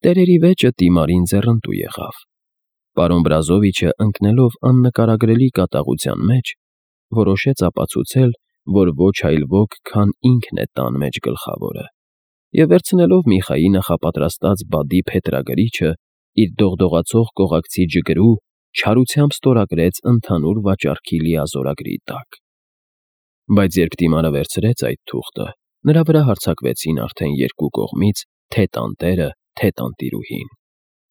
Տերերի վեճը Տիմարին ձեռնտու եղավ։ Պարոն Բրազովիչը, ընկնելով աննկարագրելի կատաղության մեջ, որոշեց ապացուցել, որ ոչ այլ ոք, քան ինքն է տան մեջ գլխավորը, և վերցնելով Միխայի նախապատրաստած բադի փետրագրիչը, իր դողդողացող կողակցի ջգրու չարությամբ ստորագրեց ընդհանուր վաճառքի լիազորագրի տակ։ Բայց երբ Տիմարը վերցրեց այդ թուղթը, նրա վրա հարձակվեցին արդեն երկու կողմից թե տանտերը, թե տանտիրուհին։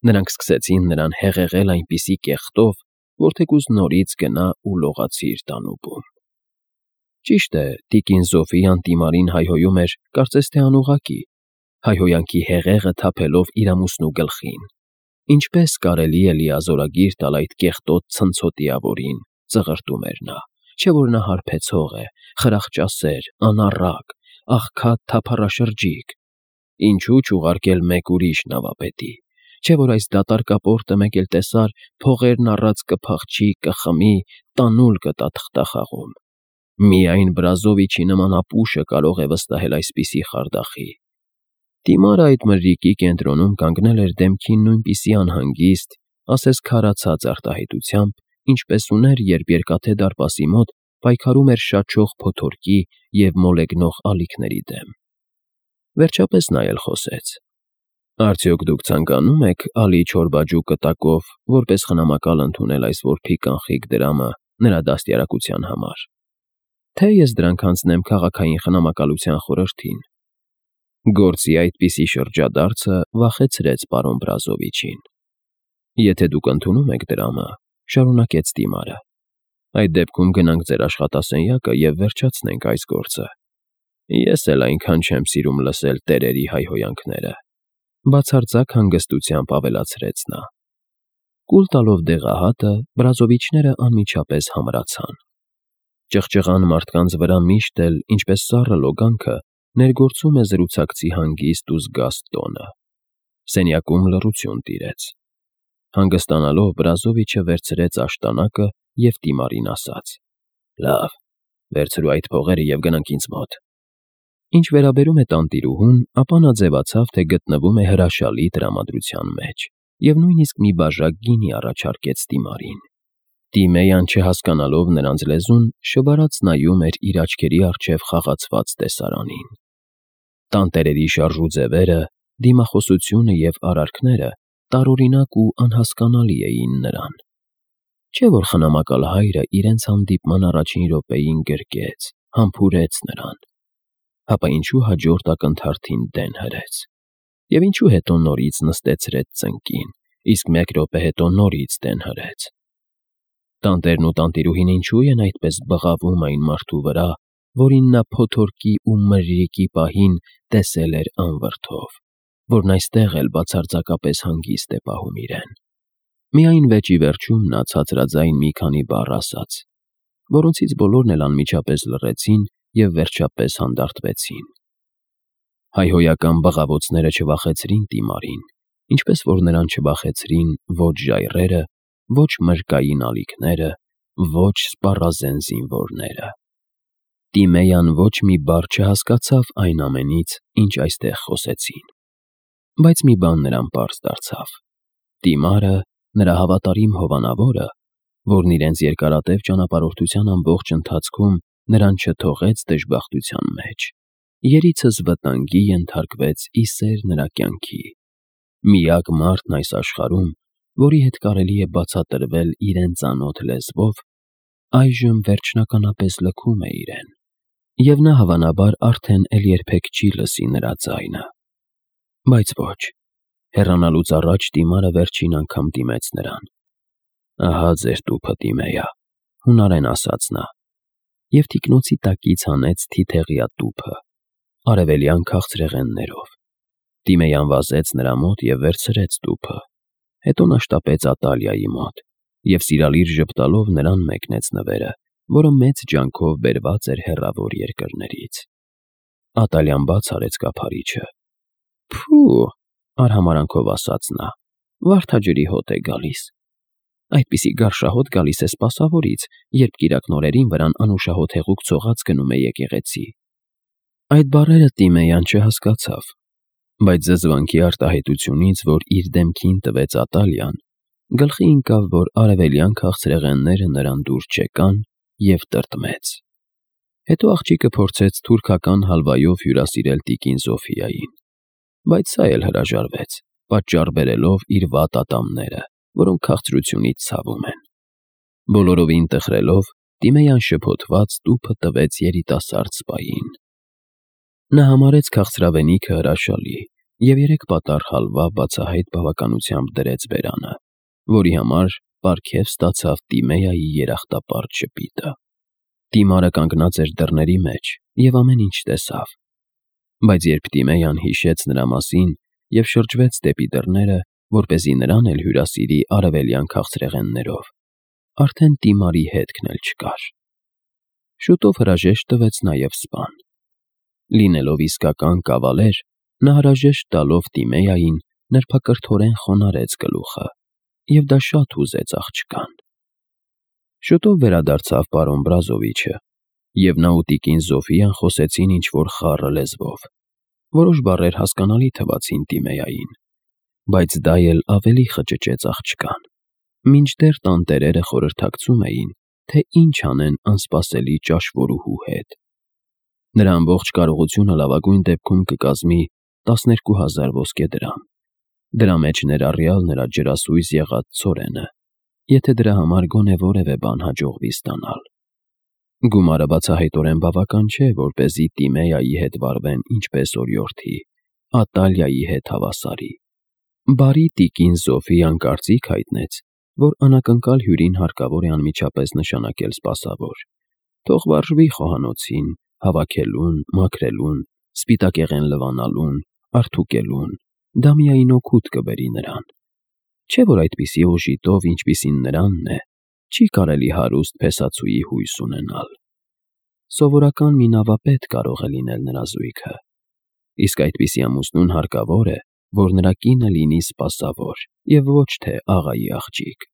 Նրանք սկսեցին նրան հեղեղել այնպիսի կեղտով, որ թեկուզ նորից գնա ու լողացի իր տանուպում։ Ճիշտ է, տիկին Զոֆիան Տիմարին հայհոյում էր, կարծես թե անուղղակի, հայհոյանքի հեղեղը թափելով իր ամուսնու գլխին։ Ինչպես կարելի է լիազորագիր տալ այդ կեղտոտ ցնցոտիավորին, ծղրտում էր նա, չէ՞ որ նա հարբեցող է, խրախճասեր, անառակ, աղքատ թափառաշրջիկ։ Ինչու՞ չուղարկել մեկ ուրիշ նավապետի, չէ՞ որ այս դատարկապորտը մեկ էլ տեսար, փողերն առած կփախչի, կխմի, տանուլ կտա թղթախաղում։ Միայն Բրազովիչի նման ապուշը կարող է վստահել այսպիսի խարդախի։ Տիմարը այդ մրրիկի կենտրոնում կանգնել էր դեմքին նույնպիսի անհանգիստ, ասես քարացած արտահայտությամբ, ինչպես ուներ, երբ Երկաթե դարպասի մոտ պայքարում էր շաչող փոթորկի և մոլեգնող ալիքների դեմ։ Վերջապես նա էլ խոսեց. «Արդյոք դուք ցանկանում եք Ալի Չորբաջու կտակով որպես խնամակալ ընդունել այս որբի կանխիկ դրամը նրա դաստիարակության համար, թե ես դրանք անցնեմ քաղաքային խնամակալության խորհրդին»։ Գործի այդպիսի շրջադարձը վախեցրեց պարոն Բրազովիչին։ «Եթե դուք ընդունում եք դրամը,» շարունակեց Տիմարը, «այդ դեպքում գնանք ձեր աշխատասենյակը և վերջացնենք այս գործը։ Ես էլ այնքան չեմ սիրում լսել տերերի հայհոյանքները», բացարձակ հանգստությամբ ավելացրեց նա։ Կուլ տալով դեղահատը, Բրազովիչները անմիջապես համրացան։ Ճղճղան մարդկանց վրա միշտ էլ, ինչպես սառը լոգանքը, ներգործում է զրուցակցի հանգիստ ու զգաստ տոնը։ Սենյակում լռություն տիրեց։ Հանգստանալով, Բրազովիչը վերցրեց աշտանակը և Տիմարին ասաց. «Լավ, վերցրու այդ փողերը և գնանք ինձ մոտ»։ Ինչ վերաբերում է տանտիրուհուն, ապա նա ձևացավ, թե գտնվում է հրաշալի տրամադրության մեջ, և նույնիսկ մի բաժակ գինի առաջարկեց Տիմարին։ Տիմեյան, չհասկանալով նրանց լեզուն, շվարած նայում էր իր աչքերի առջև խաղացված տեսարանին։ Տանտերերի շարժու ձևերը, դիմախոսությունը և արարքները տարօրինակ ու անհասկանալի էին նրան։ Չէ՞ որ խնամակալ հայրը իրենց հանդիպման առաջին րոպեին գրկեց, համբուրեց նրան, հապա ինչու հաջորդ ակնթարթին դեն հրեց, և ինչու հետո նորից նստեցրեց ծնկին, իսկ մեկ րոպե հետո նորից դեն հրեց։ Տանտերն ու տանտիրուհին ինչու են այդպես բղավում այն մարդու վրա, որին նա փոթորկի ու մրրիկի պահին տեսել էր անվրդով, որն այստեղ էլ բացարձակապես հանգիստ է պահում իրեն։ Միայն վեճի վերջում նա ցածրաձայն մի քանի բառ ասաց, որոնցից բոլորն էլ անմիջապես լռեցին և վերջապես հանդարտվեցին։ Հայհոյական բղավոցները չվախեցրին Տիմարին, ինչպես որ նրան չվախեցրին ոչ ժայռերը, ոչ մրրկային ալիքները, ոչ սպառազեն զինվորները։ Տիմեյան ոչ մի բառ չհասկացավ այն ամենից, ինչ այստեղ խոսեցին։ Բայց մի բան նրան պարզ դարձավ. Տիմարը, նրա հավատարիմ հովանավորը, որն իրենց երկարատև ճանապարհորդության ամբողջ ընթացքում նրան չթողեց դժբախտության մեջ, երիցս վտանգի ենթարկվեց ի սեր նրա կյանքի։ Միակ մարդն այս աշխարհում, որի հետ կարելի է բացատրվել իրեն ծանոթ լեզվով, այժմ վերջնականապես լքում է իրեն, և նա հավանաբար արդեն էլ երբեք չի լսի նրա ձայնը։ Բայց ոչ, հեռանալուց առաջ Տիմարը վերջին անգամ դիմեց նրան։ «Ահա ձեր տուփը, Տիմեյա», հունարեն ասաց նա, և թիկնոցի տակից հանեց թիթեղյա տուփը, արևելյան քաղցրեղեններով։ Տիմեյան վազեց նրա մոտ և վերցրեց տուփը, հետո նա շտապեց Ատալիայի մոտ և սիրալիր ժպտալով նրան մեկնեց նվերը, որը մեծ ջանքով բերված էր հեռավոր երկրներից։ Ատալյան բաց արեց կափարիչը։ «Փո՜ւ», արհամարանքով ասաց նա, «վարդաջրի հոտ է գալիս»։ Այդպիսի գարշահոտ գալիս է սպասավորից, երբ կիրակնօրերին վրան անուշահոտ հեղուկ ցողած գնում է եկեղեցի։ Այդ բառերը Տիմեյան չհասկացավ։ Բայց զզվանքի արտահայտությունից, որ իր դեմքին տվեց Ատալիան, գլխի ընկավ, որ արևելյան քաղցրեղենները նրան դուր չեկան և տրտմեց։ Հետո աղջիկը փորձեց թուրքական հալվայով հյուրասիրել տիկին Զոֆիային, բայց սա էլ հրաժարվեց, պատճառ բերելով իր վատ ատամները, որոնք քաղցրությունից ցավում են։ Բոլորովին տխրելով, Տիմեյան շփոթված տուփը տվեց երիտասարդ սպային։ Նա համարեց քաղցրավենիքը հրաշալի և 3 պատառ հալվա բացահայտ բավականությամբ դրեց բերանը, որի համար պարգև ստացավ Տիմեյայի երախտապարտ ժպիտը։ Տիմարը կանգնած էր դռների մեջ և ամեն ինչ տեսավ։ Բայց երբ Տիմեյան հիշեց նրա մասին և շրջվեց դեպի դռները, որպեսզի նրան էլ հյուրասիրի արևելյան քաղցրեղեններով, արդեն Տիմարի հետքն էլ չկար։ Շուտով հրաժեշտ տվեց նաև սպան։ Լինելով իսկական կավալեր, նա հրաժեշտ տալով Տիմեյային նրբակրթորեն խոնարհեց գլուխը, և դա շատ հուզեց աղջկան։ Շուտով վերադարձավ պարոն Բրազովիչը, և նա ու տիկին Զոֆիան խոսեցին ինչ-որ խառը լեզվով։ Որոշ բառեր հասկանալի թվացին Տիմեյային, բայց դա էլ ավելի խճճեց աղջկան։ Մինչդեռ տանտերերը խորհրդակցում էին, թե ինչ անեն անսպասելի ճաշվորուհու հետ։ Նրա ամբողջ կարողությունը լավագույն դեպքում կկազմի 12,000 ոսկե դրամ, դրա մեջ ներառյալ նրա ջրասույզ եղած ցորենը, եթե դրա համար գոնե որևէ բան հաջողվի ստանալ։ Գումարը բացահայտորեն բավական չէ, որպեսզի Տիմեյայի հետ վարվեն ինչպես օրիորդի, Ատալիայի հետ հավասարի։ Բարի տիկին Զոֆիան կարծիք հայտնեց, որ անակնկալ հյուրին հարկավոր է անմիջապես նշանակել սպասավոր, թող վարժվի խոհանոցին, հավաքելուն, մաքրելուն, սպիտակեղեն լվանալուն, արդուկելուն, դա միայն օգուտ կբերի նրան։ Չէ՞ որ այդպիսի օժիտով, ինչպիսին նրանն է, չի կարելի հարուստ փեսացուի հույս ունենալ։ Սովորական մի նավապետ կարող է լինել նրա զույգը, իսկ այդպիսի ամուսնուն հարկավոր է, որ նրա կինը լինի սպասավոր և ոչ թե աղայի աղջիկ։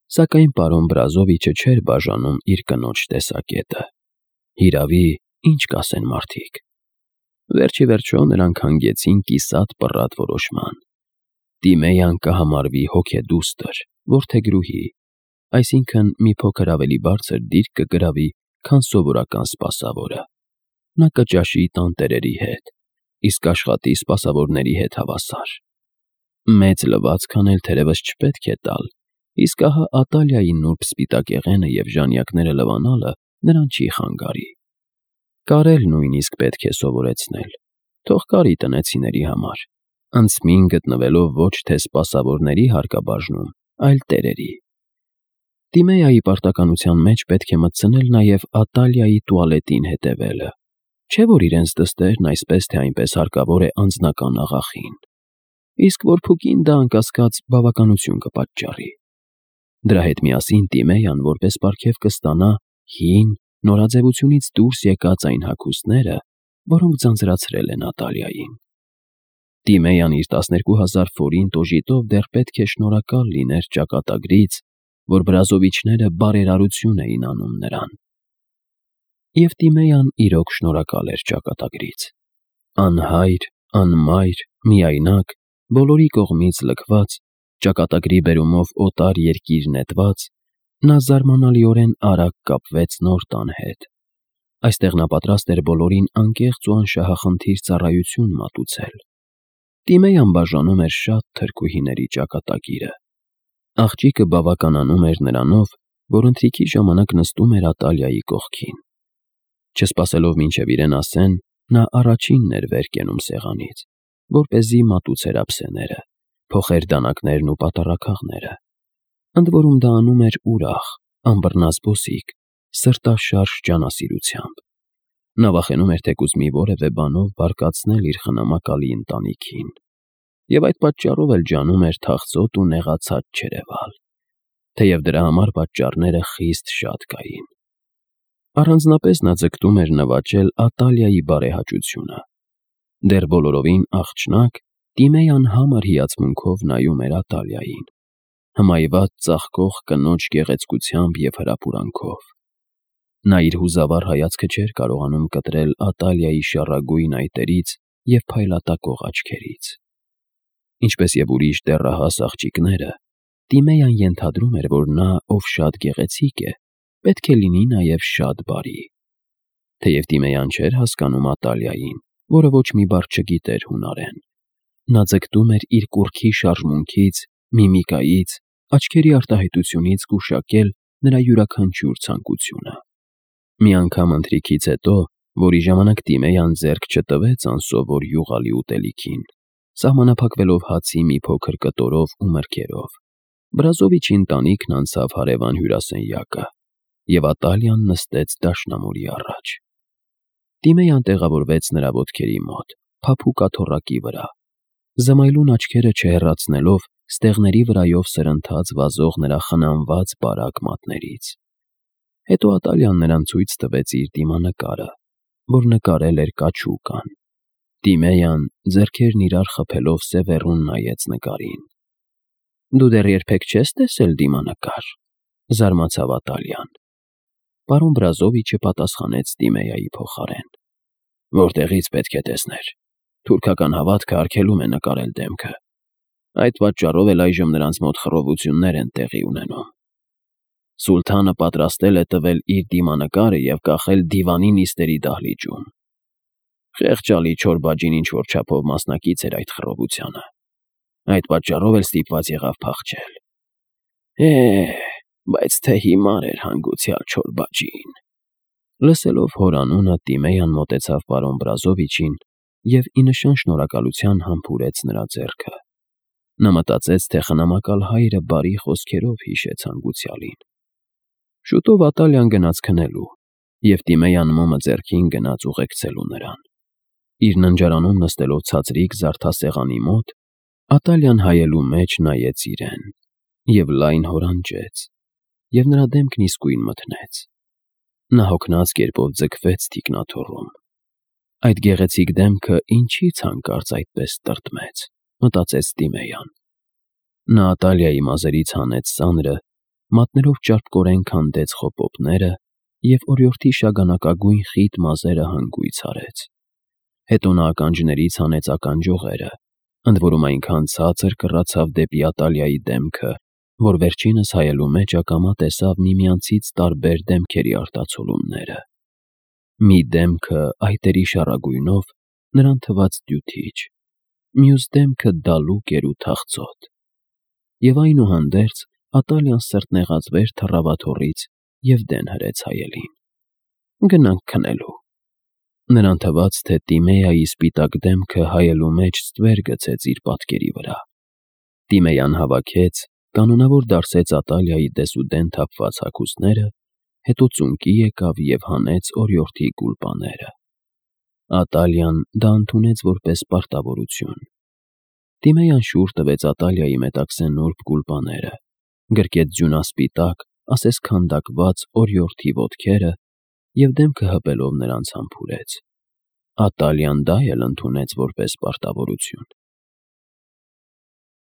Սակայն պարոն Բրազովիչը չէր բաժանում իր կնոջ տեսակետը։ Հիրավի, ինչ կասեն մարդիկ։ Վերջիվերջո նրանք հանգեցին կիսատ պռատ որոշման։ Տիմեյան կհամարվի հոգեդուստր, որդեգրուհի, այսինքն մի փոքր ավելի բարձր դիրք կգրավի, քան սովորական սպասավորը։ Նա կճաշի տանտերերի հետ, իսկ աշխատի սպասավորների հետ հավասար։ Մեծ լվացքն էլ թերևս չպետք է տալ, իսկ ահա Ատալիայի նուրբ սպիտակեղենը և ժանյակները լվանալը նրան չի խանգարի։ Կարել նույնիսկ պետք է սովորեցնել, թող կարի տնեցիների համար, անցմին գտնվելով ոչ թե սպասավորների հարկաբաժնում, այլ տերերի։ Տիմեյայի պարտականության մեջ պետք է մտցնել նաև Ատալիայի տուալետին հետևելը, չէ՞ որ իրենց դստերն այսպես թե այնպես հարկավոր է անձնական աղախին, իսկ որ փուկին դա անկասկած բավականություն կպատճառի։ Դրա հետ միասին Տիմեյան որպես պարգև կստանա հին, նորաձևությունից դուրս եկած այն հագուստները, որոնք ձանձրացրել են Ատալիային։ Տիմեյան իր 12,000 ֆորինտ օժիտով դեռ պետք է շնորհակալ լիներ ճակատագրից, որ Բրազովիչները բարերարություն էին անում նրան։ Եվ Տիմեյան իրոք շնորհակալ էր ճակատագրից։ Անհայր, անմայր, միայնակ, բոլորի կողմից լքված, ճակատագրի բերումով օտար երկիր նետված, նա զարմանալիորեն արագ կապվեց նոր տան հետ։ Այստեղ նա պատրաստ էր բոլորին անկեղծ ու անշահախնդիր ծառայություն մատուցել։ Տիմեյան բաժանում էր շատ թրքուհիների ճակատագիրը։ Աղջիկը բավականանում էր նրանով, որ ընթրիքի ժամանակ նստում էր Ատալիայի կողքին։ Չսպասելով մինչև իրեն ասեն, նա առաջինն էր վեր կենում սեղանից, որպեսզի մատուցեր ափսեները, փոխեր դանակներն ու պատառաքաղները։ Ընդ որում դա անում էր ուրախ, անբռնազբոսիկ, սրտաշարժ ջանասիրությամբ։ Նա վախենում էր թեկուզ մի որևէ բանով բարկացնել իր խնամակալի ընտանիքին, և այդ պատճառով էլ ջանում էր թախծոտ ու նեղացած չերևալ, թեև դրա համար պատճառները խիստ շատ կային։ Առանձնապես նա ձգտում էր նվաճել Ատալիայի բարեհաճությունը։ Դեռ բոլորովին աղջնակ, Տիմեյան համր հիացմունքով նայում էր Ատալիային, հմայված ծաղկող կնոջ գեղեցկությամբ և հրապուրանքով։ Նա իր հուզավառ հայացքը չէր կարողանում կտրել Ատալիայի շառագույն այտերից և փայլատակող աչքերից։ Ինչպես և ուրիշ դեռահաս աղջիկները, Տիմեյան ենթադրում էր, որ նա, ով շատ գեղեցիկ է, պետք է լինի նաև շատ բարի։ Թեև Տիմեյան չէր հասկանում Ատալիային, որը ոչ մի բառ չգիտեր հունարեն, նա ձգտում էր իր կուռքի շարժմունքից, միմիկայից, աչքերի արտահայտությունից գուշակել նրա յուրաքանչյուր ցանկությունը։ Մի անգամ ընթրիքից հետո, որի ժամանակ Տիմեյան ձեռք չտվեց անսովոր յուղալի ուտելիքին, սահմանափակվելով հացի մի փոքր կտորով ու մրգերով, Բրազովիչի ընտանիքն անցավ հարևան հյուրասենյակը, և Ատալիան նստեց դաշնամուրի առաջ։ Տիմեյան տեղավորվեց նրա ոտքերի մոտ, փափուկ աթոռակի վրա, զմայլուն աչքերը չհեռացնելով ստեղների վրայով սրընթաց վազող նրա խնամված բարակ մատներից։ Հետո Ատալիան նրան ցույց տվեց իր դիմանկարը, որ նկարել էր կաչուկան։ Տիմեյան, ձեռքերն իրար խփելով սևեռուն նայեց նկարին։ «Դու դեռ երբեք չես տեսել դիմանկար», զարմացավ Ատալիան։ Պարոն Բրազովիչը պատասխանեց Տիմեյայի փոխարեն. «Որտեղից պետք է տեսներ։ Թուրքական հավատքը արգելում է նկարել դեմքը։ Այդ պատճառով էլ այժմ նրանց մոտ խռովություններ են տեղի ունենում։ Սուլթանը պատրաստել է տվել իր դիմանկարը և կախել դիվանի նիստերի դահլիճում։ Խեղճալի Չորբաջին ինչ-որ չափով մասնակից էր այդ խռովությանը։ Այդ պատճառով էլ ստիպված եղավ փախչել։ Բայց թե հիմար էր հանգուցյալ Չորբաջին»։ Լսելով հոր անունը, Տիմեյան մոտեցավ պարոն Բրազովիչին և ի նշան շնորհակալության համբուրեց նրա ձեռքը։ Նա մտածեց, թե խնամակալ հայրը բարի խոսքերով հիշեց հանգուցյալին։ Շուտով Ատալիան գնաց քնելու, և Տիմեյան մոմը ձեռքին գնաց ուղեկցելու նրան։ Իր ննջարանում նստելով ցածրիկ զարդասեղանի մոտ, Ատալիան հայելու մեջ նայեց իրեն և լայն հորանջեց, և նրա դեմքն իսկույն մթնեց։ Նա հոգնած կերպով ձգվեց թիկնաթոռում։ Այդ գեղեցիկ դեմքը ինչի՞ց հանկարծ այդպես տրտմեց, մտածեց Տիմեյան։ Նա Ատալիայի մազերից հանեց ծանրը, մատներով ճարպկորեն քանդեց խոպոպները և օրիորդի շագանակագույն խիտ մազերը հանգույց արեց։ Հետո նա ականջներից հանեց ականջողերը, ընդ որում այնքան ցածր կռացավ դեպի Ատալիայի դեմքը, որ վերջինս հայելու մեջ ակամա տեսավ միմյանցից տարբեր դեմքերի արտացոլումները։ Մի դեմքը այտերի շառագույնով նրան թվաց դյութիչ, մյուս դեմքը դալուկ էր ու թախծոտ։ Եվ այնուհանդերձ Ատալիան սրտնեղացվեր թռավ աթոռից և դեն հրեց հայելին։ «Գնանք քնելու»։ Նրան թվաց, թե Տիմեյայի սպիտակ դեմքը հայելու մեջ ստվեր գցեց իր պատկերի վրա։ Տիմեյան հավաքեց, կանոնավոր դարսեց Ատալիայի դեսուդեն թափված հագուստները, հետո ծունկի եկավ և հանեց օրիորդի գուլպաները։ Ատալիան դա ընդունեց որպես պարտավորություն։ Տիմեյան շուռ տվեց Ատալիայի մետաքսե նուրբ գուլպաները, գրկեց ձյունասպիտակ, ասես քանդակված օրիորդի ոտքերը և դեմքը հպելով նրանց համբուրեց։ Ատալիան դա էլ ընդունեց որպես պարտավորություն։